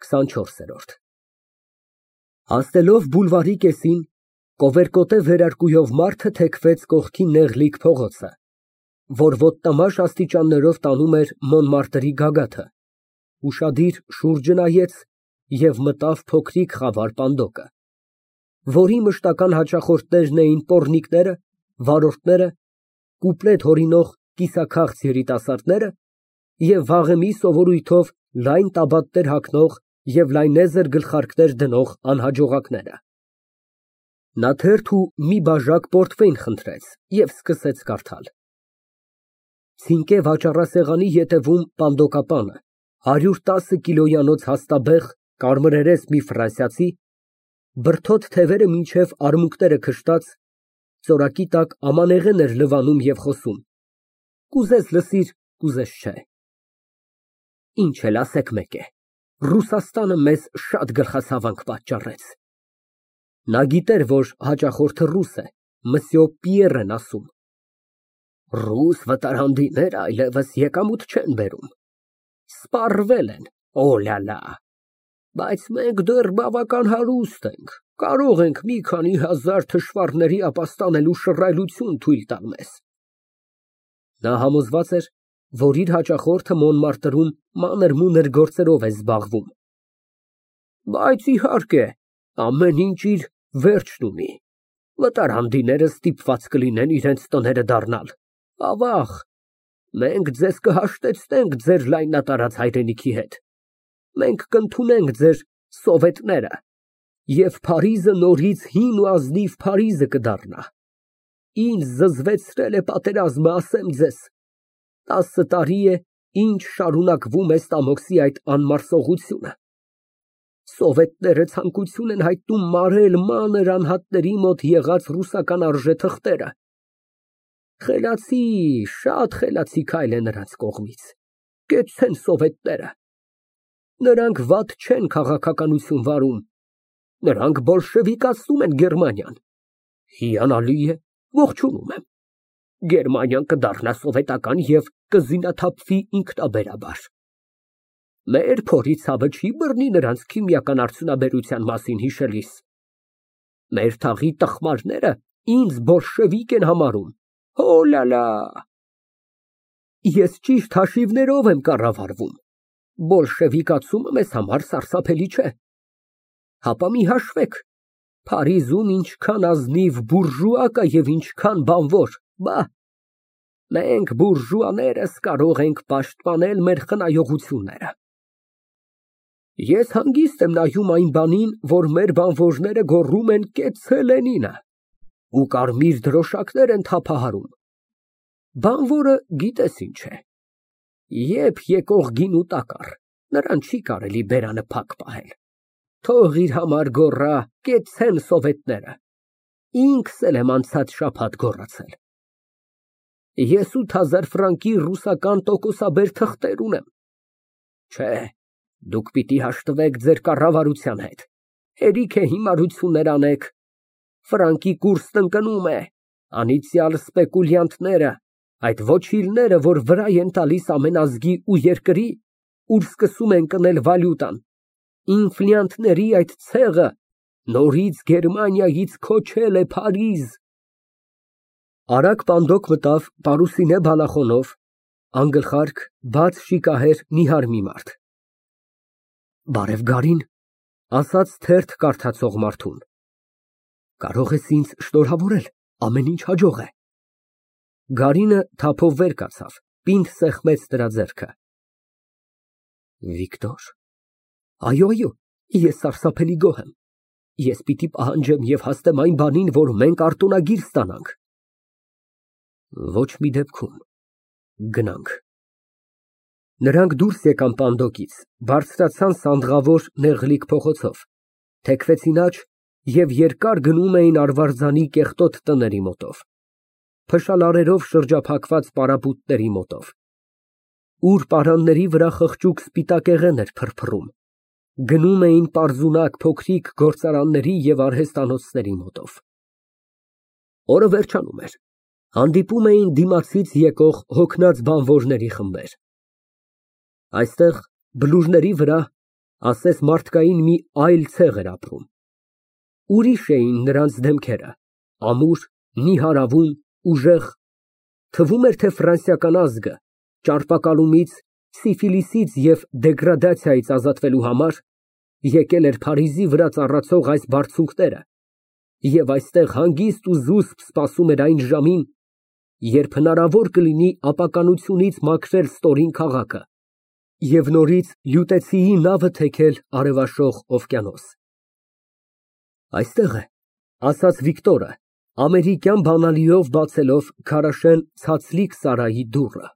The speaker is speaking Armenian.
24։ Հասնելով բուլվարի կեսին, կովերկոտե վերարկուով մարդը թեքվեց կողքի նեղլիկ փողոցը, որ ոտնամաշ աստիճաններով տանում էր Մոնմարտրի գագաթը, ուշադիր շուրջը նայեց և մտավ փոքրիկ խավար պանդոկը, որի մշտական հաճախորդներն էին պոռնիկները, վարորդները, կուպլետ հորինող կիսաքաղց երիտասարդները և վաղեմի սովորույթով լայն տաբատներ հագնող և լայնեզր գլխարկներ դնող անհաջողակները։ Նա թերթ ու մի բաժակ պորտֆեյլ խնդրեց և սկսեց կարդալ. Ցինկե վաճառասեղանի ետևում պանդոկապանը, 110 կիլոյանոց հաստաբեղ, կարմրերես մի ֆրանսիացի, բրդոտ թևերը մինչև արմունկները քշտած, ծորակի տակ ամանեղեն էր լվանում և խոսում. «Կուզես լսիր, կուզես չէ»։ Ինչ էլ ասեք մեկ է, Ռուսաստանը մեզ շատ գլխացավանք պատճառեց։ Նա գիտեր, որ հաճախորդը ռուս է, Մսյո Պիեռ են ասում։ Ռուս վտարանդիները այլևս եկամուտ չեն բերում, սպառվել են, օլալա, բայց մենք դեռ բավական հարուստ ենք, կարող ենք մի քանի հազար թշվառների ապաստանելու շռայլություն թույլ տալ մեզ։ Նա համոզված էր, որ իր հաճախորդը Մոնմարտրում մանր-մունր գործերով է զբաղվում։ Բայց իհարկե, ամեն ինչ իր վերջն ունի, վտարանդիները ստիպված կլինեն իրենց տները դառնալ, ավաղ, մենք ձեզ կհաշտեցնենք ձեր լայնատարած հայրենիքի հետ, մենք կընդունենք ձեր սովետները, և Փարիզը նորից հին ու ազնիվ Փարիզը կդառնա։ Ինձ զզվեցրել է պատերազմը, ասեմ ձեզ, 10 տարի է, ինչ շարունակվում է ստամոքսի այդ անմարսողությունը։ Սովետները ցանկություն են հայտնում մարել մանր անհատների մոտ եղած ռուսական արժեթղթերը։ Խելացի, շատ խելացի քայլ է նրանց կողմից, կեցցեն սովետները։ Նրանք վատ չեն քաղաքականություն վարում, նրանք բոլշևիկացնում են Գերմանիան։ Հիանալի է, ողջունում եմ։ Գերմանիան կդառնա սովետական և կզինաթափվի ինքնաբերաբար։ Մեր փորի ցավը չի բռնի նրանց քիմիական արդյունաբերության մասին հիշելիս։ Մեր թաղի տխմարները ինձ բոլշևիկ են համարում, օլալա։ Ես ճիշտ հաշիվներով եմ կառավարվում, բոլշևիկացումը մեզ համար սարսափելի չէ։ Հապա մի հաշվեք, Փարիզում ինչքան ազնիվ բուրժուա կա և ինչքան բանվոր, բա, մենք բուրժուաներս կարող ենք պաշտպանել մեր խնայողությունները։ Ես հանգիստ եմ նայում այն բանին, որ մեր բանվորները գոռում են կեցցե Լենինը ու կարմիր դրոշակներ են թափահարում։ Բանվորը գիտես ինչ է, երբ եկող գինու տակառ, նրան չի կարելի բերանը փակ պահել։ Թող իր համար գոռա, կեցցեն սովետները, ինքս էլ եմ անցած շաբաթ գոռացել։ Ես 8000 ֆրանկի ռուսական տոկոսաբեր թղթեր ունեմ։ Չէ, դուք պիտի հաշտվեք ձեր կառավարության հետ, հերիք է հիմարություններ անեք, ֆրանկի կուրսն ընկնում է, անիծյալ սպեկուլյանտները, այդ ոչիլները, որ վրայ են տալիս ամեն ազգի ու երկրի, ուր սկսում են կնել վալյուտան, ինֆլյանտների այդ ցեղը նորից Գերմանիայից քոչել է Փարիզ։ Արագ պանդոկ մտավ պարուսինե բալախոնով, անգլխարկ, բաց շիկահեր նիհար մի մարդ։ Բարև Գարին, ասաց թերթ կարդացող մարդուն։ Կարող ես ինձ շնորհավորել, ամեն ինչ հաջող է։ Գարինը թափով վեր կացավ, պինդ սեղմեց նրա ձեռքը։ Վիկտոր, այո, ես սարսափելի գոհ եմ։ Ես պիտի պահանջեմ և հասնեմ այն բանին, որ մենք արտոնագիր ստանանք։ Ոչ մի դեպքում, գնանք։ Նրանք դուրս եկան պանդոկից, բարձրացան սանդղավոր նեղլիկ փողոցով, թեքվեցին աջ և երկար գնում էին Արվարձանի կեղտոտ տների մոտով, փշալարերով շրջափակված պարապույտների մոտով, ուր պարանների վրա խղճուկ սպիտակեղեն էր փրփռում, գնում էին պարզունակ փոքրիկ գործարանների և արհեստանոցների մոտով։ Օրը վերջանում էր, հանդիպում էին դիմացից եկող հոգնած բանվորների խմբեր։ Այստեղ բլուրների վրա Ասես մարդկային մի այլ ցեղ էր ապրում։ Ուրիշ էին նրանց դեմքերը, ամուր, նիհարավուն, ուժեղ, թվում էր, թե ֆրանսիական ազգը ճարպակալումից, սիֆիլիսից և դեգրադացիայից ազատվելու համար եկել էր Փարիզի վրա ծառացող այս բարձունքները և այստեղ հանգիստ ու զուսպ սպասում էր այն ժամին, երբ հնարավոր կլինի ապականությունից մաքրել ստորին քաղաքը և նորից լյուտեցիի նավը թեքել արևաշող օվկիանոս։ Այստեղ է, ասաց Վիկտորը, ամերիկյան բանալիով բացելով քարաշեն ցածլիկ սարայի դուռը։